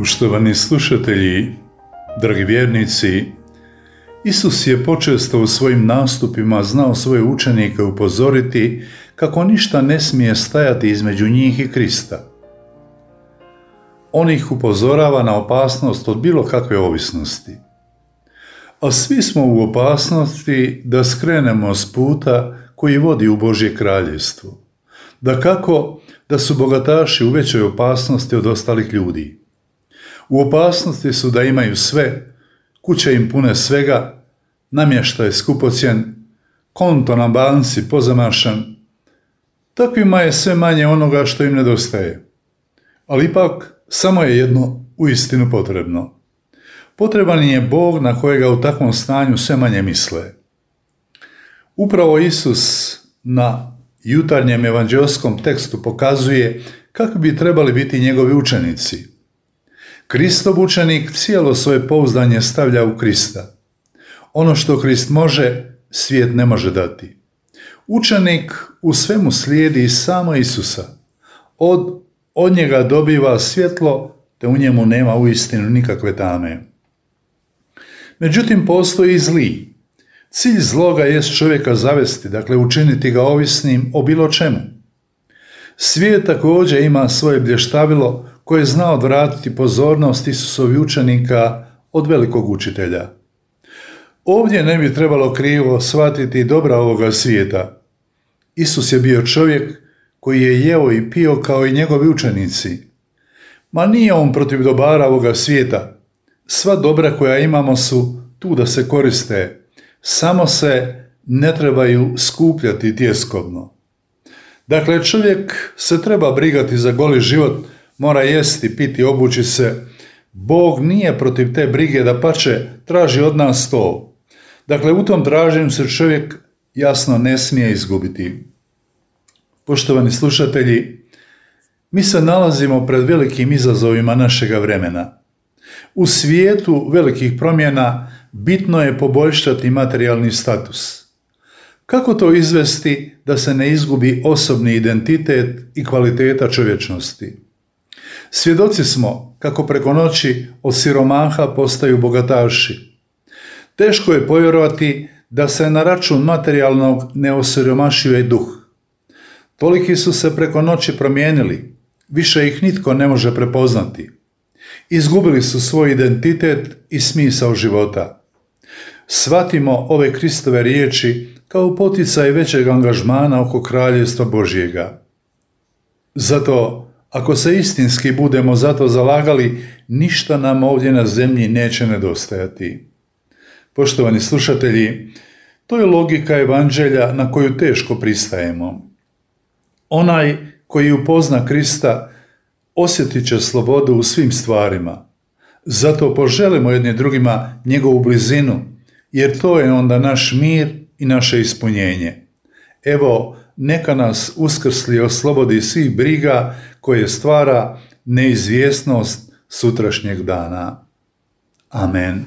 Poštovani slušatelji, dragi vjernici, Isus je počesto u svojim nastupima znao svoje učenike upozoriti kako ništa ne smije stajati između njih i Krista. On ih upozorava na opasnost od bilo kakve ovisnosti. A svi smo u opasnosti da skrenemo s puta koji vodi u Božje kraljevstvo. Dakako da su bogataši u većoj opasnosti od ostalih ljudi. U opasnosti su da imaju sve, kuće im pune svega, namještaj skupocjen, konto na banci pozamašan. Takvima je sve manje onoga što im nedostaje. Ali ipak samo je jedno uistinu potrebno. Potreban je Bog na kojega u takvom stanju sve manje misle. Upravo Isus na jutarnjem evanđeoskom tekstu pokazuje kako bi trebali biti njegovi učenici. Kristov učenik cijelo svoje pouzdanje stavlja u Krista. Ono što Krist može, svijet ne može dati. Učenik u svemu slijedi samo Isusa. Od njega dobiva svjetlo, te u njemu nema uistinu nikakve tame. Međutim, postoji i zli. Cilj zloga jest čovjeka zavesti, dakle učiniti ga ovisnim o bilo čemu. Svijet također ima svoje blještavilo koje zna odvratiti pozornost Isusovih učenika od velikog učitelja. Ovdje ne bi trebalo krivo shvatiti dobra ovoga svijeta. Isus je bio čovjek koji je jeo i pio kao i njegovi učenici. Ma nije on protiv dobara ovoga svijeta. Sva dobra koja imamo su tu da se koriste, samo se ne trebaju skupljati tjeskobno. Dakle, čovjek se treba brigati za goli život, mora jesti, piti, obući se. Bog nije protiv te brige, dapače traži od nas to. Dakle, u tom traženju se čovjek jasno ne smije izgubiti. Poštovani slušatelji, mi se nalazimo pred velikim izazovima našega vremena. U svijetu velikih promjena bitno je poboljšati materijalni status. Kako to izvesti da se ne izgubi osobni identitet i kvaliteta čovječnosti? Svjedoci smo kako preko noći od siromaha postaju bogataši. Teško je povjerovati da se na račun materijalnog ne osiromašuje duh. Toliki su se preko noći promijenili, više ih nitko ne može prepoznati. Izgubili su svoj identitet i smisao života. Shvatimo ove Kristove riječi kao poticaj većeg angažmana oko kraljevstva Božjega. Zato, ako se istinski budemo za to zalagali, ništa nam ovdje na zemlji neće nedostajati. Poštovani slušatelji, to je logika evanđelja na koju teško pristajemo. Onaj koji upozna Krista osjetit će slobodu u svim stvarima. Zato poželimo jedni drugima njegovu blizinu, jer to je onda naš mir i naše ispunjenje. Evo, neka nas uskrsli oslobodi svih briga koje stvara neizvjesnost sutrašnjeg dana. Amen.